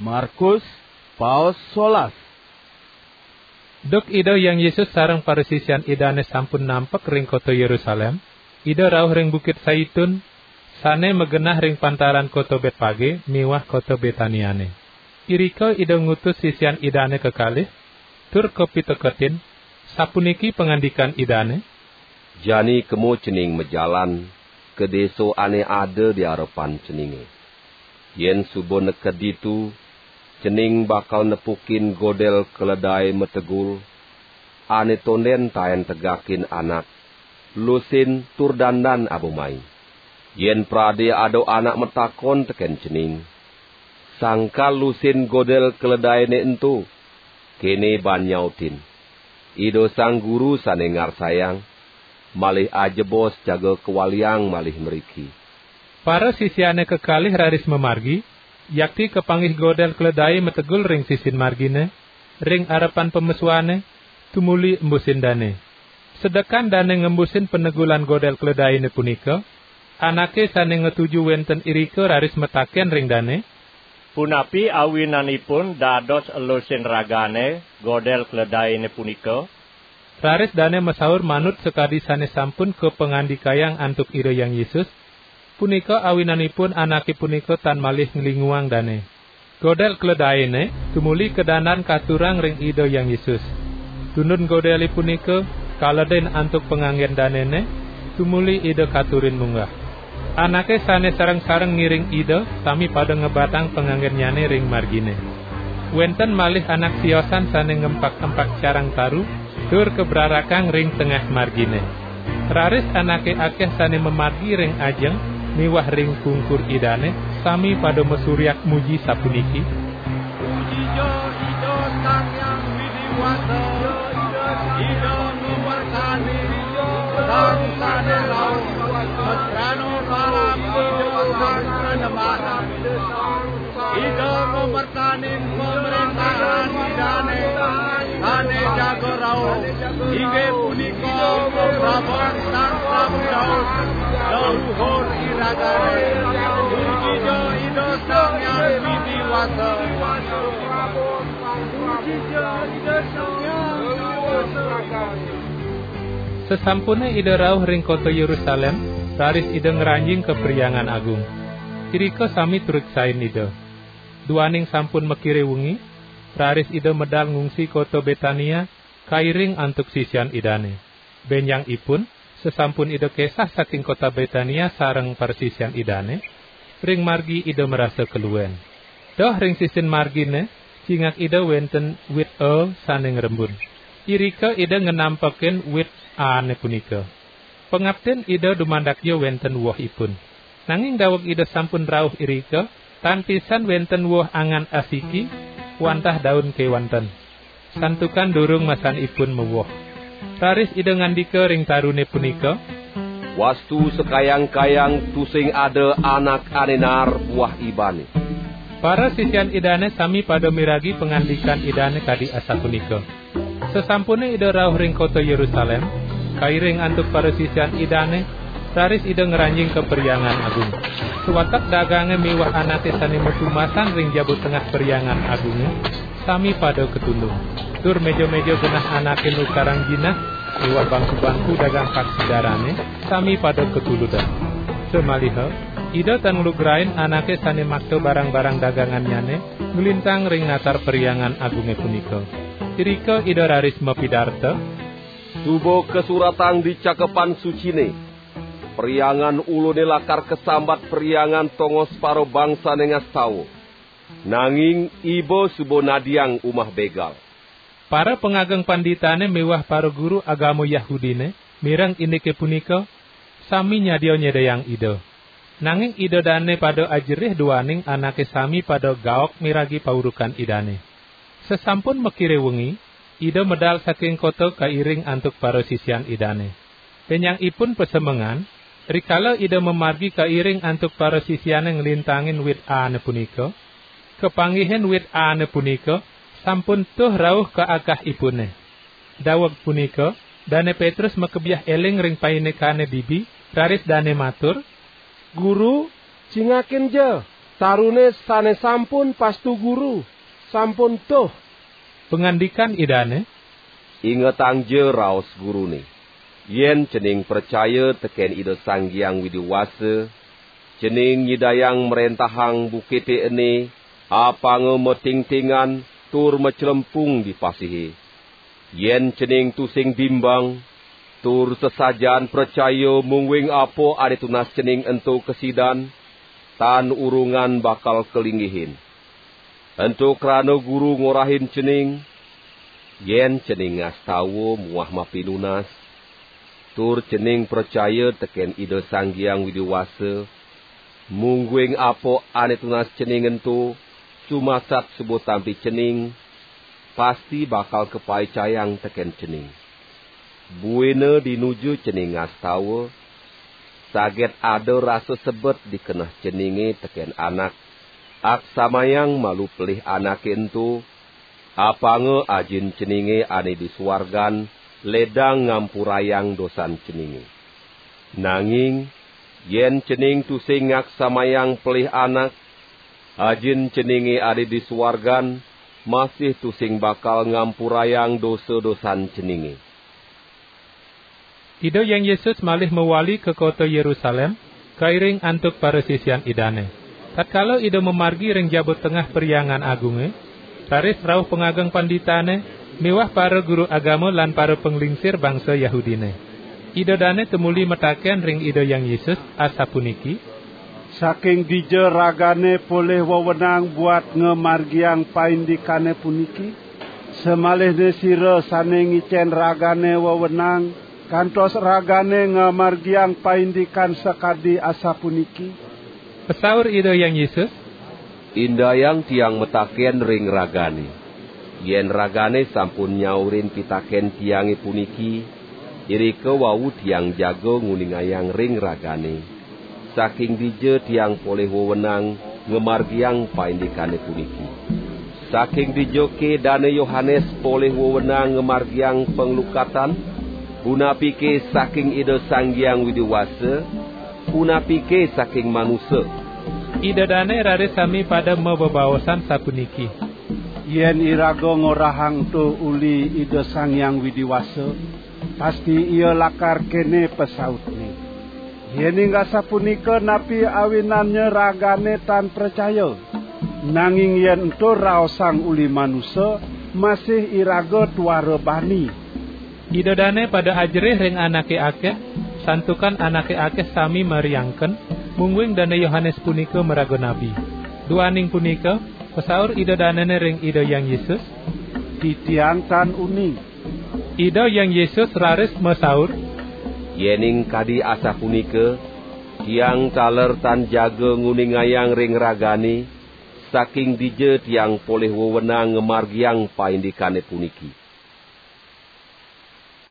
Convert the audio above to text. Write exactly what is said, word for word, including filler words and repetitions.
Markus, paos solas. Duk Ida Hyang Yesus sareng parasisian Idane sampun nampek ring kota Yerusalem, Ida rauh ring Bukit Saitun, sane magenah ring pantaran kota Betpage miwah kota Betaniane. Irika Ida ngutus sisian Idane kekalih, tur kapiteketin, sapuniki pangandikan Idane, "Jani kemo cening majalan ka desa ane ada di arepan ceninge. Yen suba neked ditu, cening bakal nepukin godel keledai mategul, ane tonden taen tegakin anak, lusin tur dandan aba mai. Yen prade ada anak matakon teken cening, sangkal lusin godel keledaine ento, kene ban nyautin, 'Ida Sang Guru sane ngarsayang, malih ajebos jaga kawaliang malih mriki.'" Parasisiane kekalih raris mamargi, yakti kapanggih godel keledai mategul ring sisin margine, ring arepan pamesuane, tumuli embusin dane. Sedekan dane ngembusin panegulan godel keledaine punika, anake sane ngatuju wenten irika raris mataken ring dane, "Punapi awinanipun dados elusin ragane godel keledaine punika?" Raris dane masaur manut sakadi sane sampun kapangandikayang antuk Ida Hyang Yesus, punika awinanipun anake punika tan malih nglinguang dane. Godel keledaine tumuli kadandan katurang ring Ida Hyang Yesus. Tundun godele punika kaledin antuk panganggen danene, tumuli Ida katurin munggah. Anake sane sareng-sareng ngiring Ida sami pada ngebatang panganggennyane ring margine. Wenten malih anak siosan sane ngempak-empak carang taru, tur kabrarakang ring tengah margine. Raris anake akeh sane mamargi ring ajeng miwah ring pungkur Idane, sami pada masuryak muji sapuniki: "Pujija Ida Sang Hyang Widi Wasa, Ida ngawersanin sang sane rauh, mesrana palam Ida Sang Panembahan. Ida ngawersanin pamrentahan Idane sane jaga rauh, inggih punika paprabon Sang Prabu Daud, leluhur iragane. Pujija Ida Sang Hyang Widi Wasa." Sasampune Ida rauh ring kota Yerusalem, raris Ida ngranjing ka Perhyangan Agung. Irika sami turiksain Ida. Duaning sampun makire wengi, raris Ida medal ngungsi kota Betania, kairing antuk sisian Idane. Benjang ipun, sasampun Ida kesah saking kota Betania sareng parasisian Idane, ring margi Ida marasa kaluen. Doh ring sisin margine, cingak Ida wenten wit a sane ngrembun. Irika Ida ngenampekin wit aane punika. Pangaptin Ida dumandakja wenten wohipun. Nanging daweg Ida sampun rauh irika, tan pisan wenten woh angan asiki, wantah daun kewanten. Santukan durung masanipun mawoh. Raris Ida ngandika ring tarune punika, "Wastu sakayang-kayang tusing ada anak ane naar buah ibane." Parasisian Idane sami pada miragi pangandikan Idane kadi asapunika. Sasampune Ida rauh ring kota Yerusalem, kairing antuk parasisian Idane, raris Ida ngranjing ka Perhyangan Agung. Sawatek dagange miwah anake sane matumasan ring jaba tengah Perhyangan Agunge, sami pada katundung. Tur meja-meja genah anake nukarang jinah, miwah bangku-bangku dagang paksi darane, sami pada katuludang. Samaliha, Ida tan nglugrain anake sane makta barang-barang dagangannyane nglintang ring natar Perhyangan Agunge punika. Irika Ida raris mapidarta, "Suba kasuratang di Cakepan Sucine, 'Perhyangan Ulune lakar kasambat perhyangan tongos parabangsane ngastawa.' Nanging iba suba nadiang umah begal." Para pangageng panditane miwah para guru agama Yahudine mireng indike punika, sami nyadia nyedayang Ida. Nanging Ida dane pada ajerih duaning anake sami pada gaok miragi paurukan Idane. Sasampun makire wengi, Ida medal saking kota kairing antuk parasisian Idane. Benjang ipun pasemengan, rikala Ida mamargi kairing antuk parasisiane nglintangin wit aane punika, kapanggihin wit aane punika sampun tuh rauh ka akahipune. Daweg punika, Dane Petrus makebyah eling ring paindikane dibi, raris dane matur, "Guru, cingakin ja!" Tarune sane sampun pastu Guru, sampun tuh." Pangandikan Idane, "Ingetangja raos Gurune. Yen cening pracaya teken Ida Sang Hyang Widi Wasa, cening nyidayang mrentahang bukite ene apanga matingtingan tur maclempung di pasihe. Yen cening tusing bimbang, tur sesajan pracaya mungguing apa ane tunas cening ento kasidan, tan urungan bakal kalinggihin. Ento krana Guru ngorahin cening, yen cening ngastawa muah mapinunas, tur cening pracaya teken Ida Sang Hyang Widi Wasa, mungguing apa ane tunas cening ento sumasat suba tampi cening, pasti bakal kapaicayang teken cening. Buina dinuju cening ngastawa, saget ada rasa sebet di keneh ceninge teken anak, aksamayang malu pelih anake ento, apanga Ajin ceninge ane di suargan ledang ngampurayang dosan ceninge. Nanging yen cening tusing ngaksamayang pelih anak, Ajin ceninge ane di suargan masih tusing bakal ngampurayang dosa-dosan ceninge." Ida Hyang Yesus malih mawali ka kota Yerusalem, kairing antuk parasisian Idane. Tatkala Ida mamargi ring jaba tengah Perhyangan Agunge, raris rauh pangageng panditane miwah para guru agama lan para panglingsir bangsa Yahudine. Ida dane tumuli mataken ring Ida Hyang Yesus, asapuniki, "Saking dija ragane polih wewenang buat ngamargiang paindikane puniki? Samalihne sira sane ngicen ragane wewenang, kantos ragane ngamargiang paindikan sakadi asapuniki?" Pasaur Ida Hyang Yesus, "Indayang Tiang mataken ring ragane. Yen ragane sampun nyaurin pitaken Tiange puniki, irika wau Tiang jaga nguningayang ring ragane, saking dija Tiang polih wewenang ngamargiang paindikane puniki. Saking dijake Dane Yohanes polih wewenang ngamargiang panglukatan? Punapike saking Ida Sang Hyang Widi Wasa, punapike saking manusa?" Ida dane raris sami pada mabebaosan sapuniki, "Yen iraga ngorahang ento uli Ida Sang Hyang Widi Wasa, pasti Ia lakar kene pasautne. Yening asapunika, napi awinannya ragane tan pracaya? Nanging yen ento raosang uli manusa, masih iraga tuara bani." Ida dane pada ajerih ring anake akeh, santukan anake akeh sami mariangken, mungguing Dane Yohanes punika maraga nabi. Duaning punika, pasaur Ida danene ring Ida Hyang Yesus, "Titiang tan uning." Ida Hyang Yesus raris masaur, "Yening kadi asapunika, Tiang taler tan jaga nguningayang ring ragane, saking dija Tiang polih wewenang ngamargiang paindikane puniki."